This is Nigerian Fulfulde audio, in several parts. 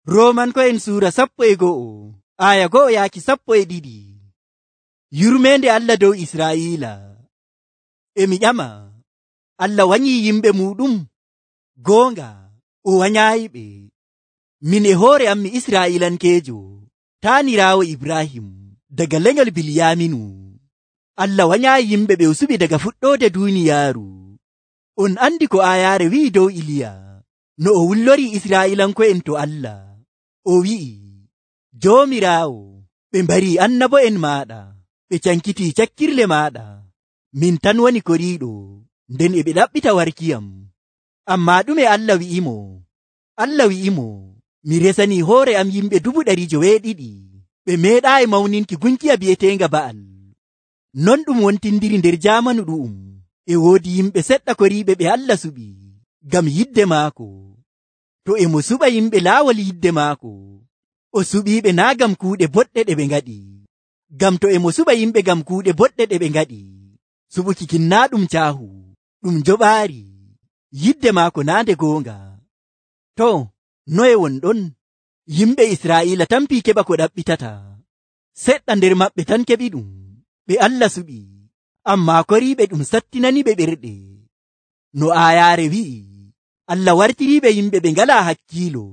Romanko'en suura 11 aya 1 yaaki 12. Yurmende Allah dow Israa'ila. Mi ƴama, Allah wanyii yimɓe muɗum? Goonga, o wanyaayiɓe. Min e hoore am mi Israa'ilankeejo, taaniraawo Ibrahim daga lenyol Bilyaminu. Allah wanyaayi yimɓe ɓe o suɓi daga fuɗɗoode duuniyaaru. On andi ko aayaare wi'i dow Iliya, no o wullorii Israa'ilanko'en to Allah. O wi'i, Joomiraawo, ɓe mbarii annabo'en maaɗa, ɓe cankitii cakkirle maaɗa. Min tan woni koriiɗo, nden e ɓe ɗaɓɓita warkiyam. Ammaa ɗume Allah wi'imo? Allah wi'imo, mi resanii hoore am yimɓe 200,000. Ɓe meeɗaayi mawninki gunkiya bi'eteenga Ba'al. Non ɗum wontindiri nder jaamanu ɗu'um. E woodi yimɓe seɗɗa koriiɓe ɓe Allah suɓi, ngam yidde maako. To e mo suɓa yimɓe laawol yidde maako, o suɓiiɓe naa ngam kuuɗe boɗɗe ɗe ɓe ngaɗi. Ngam to e mo suɓa yimɓe ngam kuuɗe boɗɗe ɗe ɓe ngaɗi, suɓuki kin naa ɗum caahu, ɗum joɓaari. Yidde maako naa nde goonga. To, noye wonɗon? Yimɓe Israa'iila tampii keɓa ko ɗaɓɓitata. Seɗɗa nder maɓɓe tan keɓi ɗum, ɓe Allah suɓi, ammaa koriiɓe ɗum sattinaniɓe ɓerɗe. No aayaare wi'i, Allah wartiriiɓe yimɓe ɓe ngalaa hakkiilo,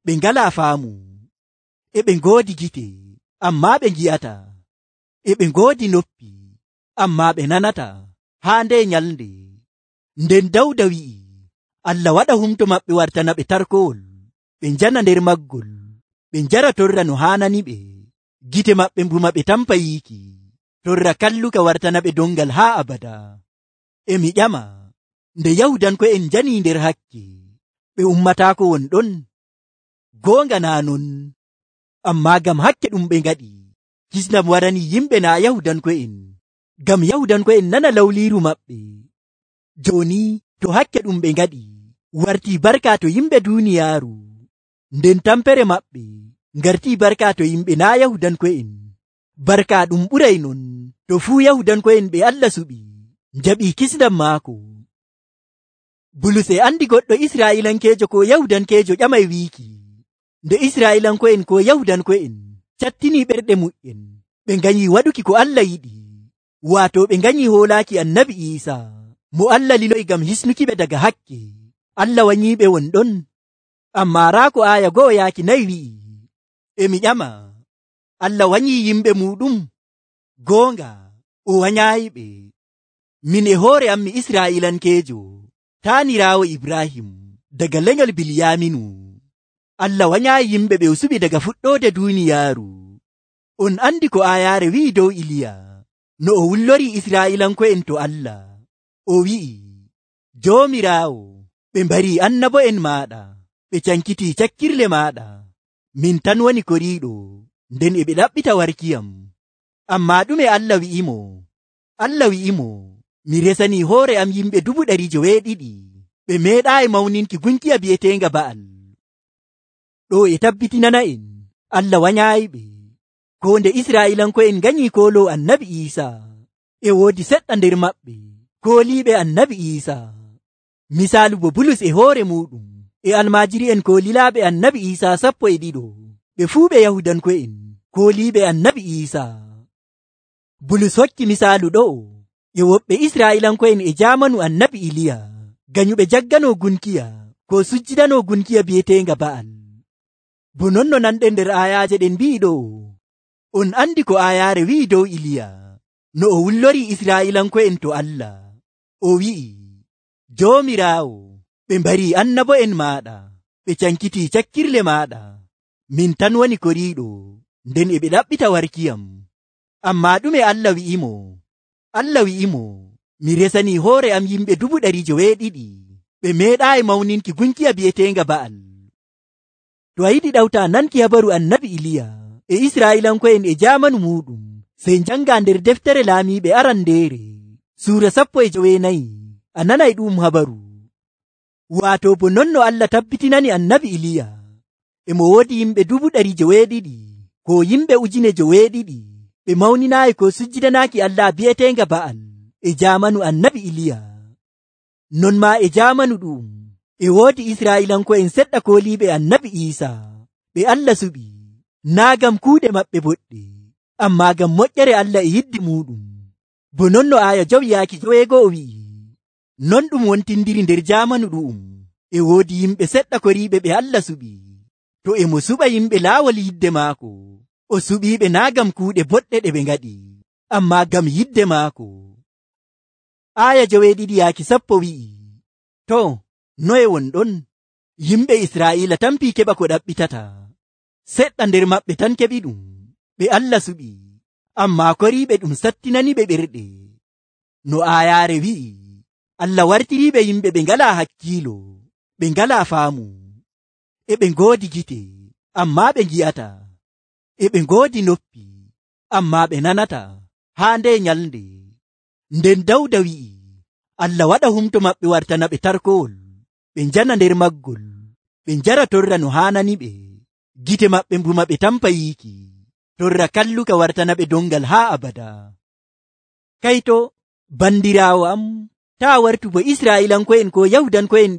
ɓe ngalaa faamu. E ɓe ngoodi gite, ammaa ɓe ngi'ata. E ɓe ngoodi noppi, ammaa ɓe nanata, haa nde nyalnde. Nden Dawda wi'i, Allah waɗa humto maɓɓe wartana ɓe tarkowol, ɓe njana nder maggol, ɓe njara torra no haananiɓe. Gite maɓɓe mbuma ɓe tampa yiiki, torra kalluka wartana ɓe dongal haa abada. E mi ƴama, nde Yahudanko'en njanii nder hakke, ɓe ummataako wonɗon? Goonga naa non, ammaa ngam hakke ɗum ɓe ngaɗi, kisnam waranii yimɓe naa Yahudanko'en, ngam Yahudanko'en nana lawliiru maɓɓe. Jooni to hakke ɗum ɓe ngaɗi wartii barka to yimɓe duuniyaaru, nden tampere maɓɓe ngartii barka to yimɓe naa Yahudanko'en. Barka ɗum ɓuray non to fuu Yahudanko'en ɓe Allah suɓi njaɓii kisnam maako. Bulus e andi goɗɗo Israa'ilankeejo ko Yahudankeejo ƴamay wiiki, nde Israa'ilanko'en ko Yahudanko'en cattinii ɓerɗe mu'en, ɓe nganyii waɗuki ko Allah yiɗi, waato ɓe nganyii hoolaaki Annabi Iisaa, mo Allah liloyi ngam hisnukiɓe daga hakke. Allah wanyiiɓe wonɗon? Ammaa raa ko aaya 1 yaaki 4 wi'i, e mi ƴama, Allah wanyii yimɓe muɗum? Goonga, o wanyaayiɓe. Min e hoore am mi Israa'ilankeejo, taaniraawo Ibrahim daga lenyol Bilyaminu. Allah wanyaayi yimɓe ɓe o suɓi daga fuɗɗoode duuniyaaru. On andi ko aayaare wi'i dow Iliya, no o wullorii Israa'ilanko'en to Allah. O wi'i, Joomiraawo, ɓe mbarii annabo'en maaɗa, ɓe cankitii cakkirle maaɗa. Min tan woni koriiɗo, nden e ɓe ɗaɓɓita warkiyam. Ammaa ɗume Allah wi'imo? Allah wi'imo, mi resanii hoore am yimɓe 200,000. Ɓe meeɗaayi mawninki gunkiya bi'eteenga Ba'al. Ɗo e tabbitinana'en, Allah wanyaayiɓe. Ko nde Israa'ilanko'en nganyii kooloo Annabi Iisaa, e woodi seɗɗa nder maɓɓe kooliiɓe Annabi Iisaa. Misaalu bo Bulus e hoore muɗum e almaajiri'en koolilaaɓe Annabi Iisaa 12, ɓe fuu ɓe Yahudanko'en kooliiɓe Annabi Iisaa. Bulus hokki misaalu ɗo e woɓɓe Israa'ilanko'en e jaamanu Annabi Iliya, ganyuɓe jagganoo gunkiya ko sujjidanoo gunkiya bi'eteenga Ba'al. Bo non no nanɗen nder aayaaje ɗen mbi'i ɗo, on andi ko aayaare wi'i dow Iliya, no o wullorii Israa'ilanko'en to Allah. O wi'i, Joomiraawo, ɓe mbarii annabo'en maaɗa, ɓe cankitii cakkirle maaɗa. Min tan woni koriiɗo, nden e ɓe ɗaɓɓita warkiyam. Ammaa ɗume Allah wi'imo? Allah wi'imo, mi resanii hoore am yimɓe 200,000. Ɓe meeɗaayi mawninki gunkiya bi'eteenga Ba'al. To a yiɗi ɗawta nanki habaru Annabi Iliya e Israa'ilanko'en e jaamanu muɗum, sey njanga nder deftere laamiiɓe arandeere, suura 14, a nanay ɗum habaru. Waato bo non no Allah tabbitinani Annabi Iliya, e mo woodi yimɓe 200,000 ko yimɓe 1,000 ɓe mawninaayi ko sujjidanaaki Allah bi'eteenga Ba'al e jaamanu Annabi Iliya. Non maa e jaamanu ɗum, e woodi Israa'ilanko'en seɗɗa kooliiɓe Annabi Iisaa, ɓe Allah suɓi, naa ngam kuuɗe maɓɓe boɗɗe, ammaa ngam moƴƴere Allah e yidde muɗum. Bo non no aaya 9 wi'i, non ɗum wontindiri nder jaamanu ɗu'um. E woodi yimɓe seɗɗa koriiɓe ɓe Allah suɓi. To e mo suɓa yimɓe laawol yidde maako, o suɓiiɓe naa ngam kuuɗe boɗɗe ɗe ɓe ngaɗi, ammaa ngam yidde maako. Aaya 9:10 wi'i, to, noye wonɗon? Yimɓe Israa'iila tampii keɓa ko ɗaɓɓitata. Seɗɗa nder maɓɓe tan keɓi ɗum. Ɓe Allah suɓi, ammaa koriiɓe ɗum sattinani ɓe ɓerɗe. No aayaare wi'i, Allah wartiriiɓe yimɓe ɓe ngalaa hakkiilo, ɓe ngalaa faamu. E ɓe ngoodi gite, ammaa ɓe ngi'ata. E ɓe ngoodi noppi, ammaa ɓe nanata. Haa nde nyalnde, nden Dawda wi'i, Allah waɗa humto maɓɓe wartana ɓe tarkowol, ɓe njana nder maggol, ɓe njara torra no haanani ɓe. Gite maɓɓe mbuma ɓe tampa yiiki, torra kalluka wartana ɓe dongal haa abada. Kayto, bandiraawo am, taa wartu bo Israa'iilanko'en ko Yahudanko'en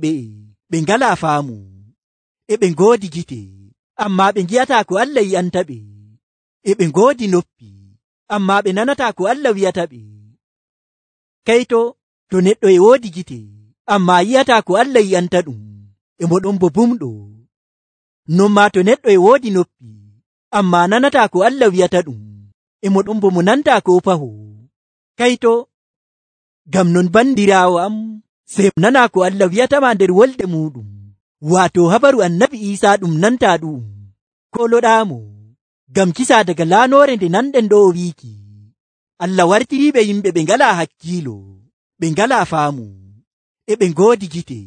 ɓe ngalaa faamu. E ɓe ngoodi gite, ammaa ɓe ngi'ataa ko Allah yi'anta ɓe. E ɓe ngoodi noppi, ammaa ɓe nanataa ko Allah wi'ata ɓe. Kayto, to neɗɗo e woodi gite, ammaa yi'ataa ko Allah yi'anta ɗum, e mo ɗon bo bumɗo. Non maa to neɗɗo e woodi noppi, ammaa nanataa ko Allah wi'ata ɗum, e mo ɗon bo mo nantaa ko paho. Kayto, ngam non bandiraawo am, sey nanaa ko Allah wi'atama nder wolde muɗum, waato habaru annabi Iisaa ɗum nantaa ɗum. Koloɗaamo, ngam kisa daga laanoore nde nanɗen ɗo o wiiki, Allah wartiriiɓe yimɓe ɓe ngalaa hakkiilo, ɓe ngalaa faamu. E ɓe ngoodi gite,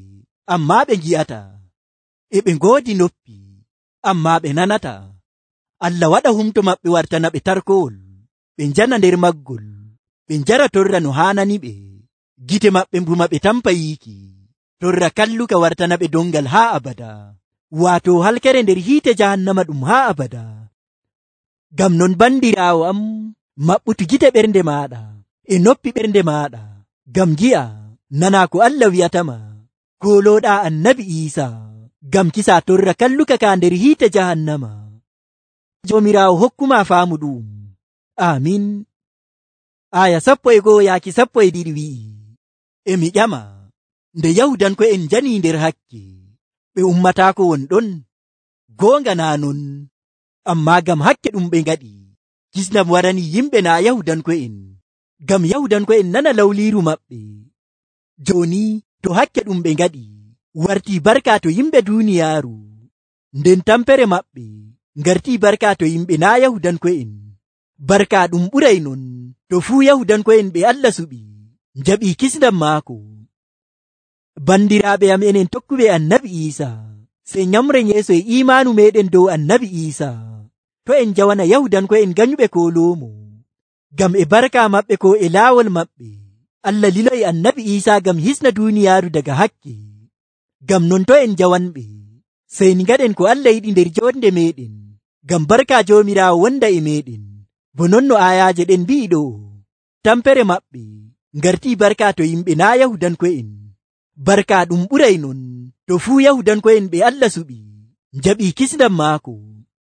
ammaa ɓe ngi'ata. E ɓe ngoodi noppi, ammaa ɓe nanata. Allah waɗa humto maɓɓe wartana ɓe tarkowol, ɓe njana nder maggol, ɓe njara torra no haanani ɓe. Gite maɓɓe mbuma ɓe tampa yiiki, torra kalluka wartana ɓe dongal haa abada, waato halkere nder hiite jahannama ɗum haa abada. Ngam non bandiraawo am, maɓɓutu gite ɓernde maaɗa e noppi ɓernde maaɗa, ngam gi'a nanaa ko Allah wi'atama. Kolooɗaa annabi Iisaa, ngam kisa torra kalluka ka nder hiite jahannama. Joomiraawo hokkuma faamu ɗum. Amin. Aya 11:12 wi'i, e mi ƴama, nde Yahudanko'en njanii nder hakke, ɓe ummataako wonɗon? Goonga naa non, ammaa ngam hakke ɗum ɓe ngaɗi, kisnam warani yimɓe naa Yahudanko'en, ngam Yahudanko'en nana lawliiru maɓɓe. Jooni to hakke ɗum ɓe ngaɗi wartii barka to yimɓe duuniyaaru, nden tampere maɓɓe ngartii barka to yimɓe naa Yahudanko'en. Barka ɗum ɓuray non to fuu Yahudanko'en ɓe Allah suɓi, njaɓii kisnam maako. Bandiraaɓe am enen tokkuɓe annabi Iisaa, sey nyamren yeeso e iimaanu meɗen dow annabi Iisaa. To en jawana Yahudanko'en ganyuɓe koloomo, ngam e barka maɓɓe ko e laawol maɓɓe, Allah liloyi annabi Iisaa ngam hisna duuniyaaru daga hakke. Ngam non to en jawanɓe, sey ni ngaɗen ko Allah yiɗi nder jonde meɗen, ngam barka Joomiraawo wonda e meɗen. Bo non no aayaaje ɗen mbi'i ɗo, tampere maɓɓe ngartii barka to yimɓe naa Yahudanko'en. Barka ɗum ɓuray non to fuu Yahudanko'en ɓe Allah suɓi, njaɓii kisnam maako.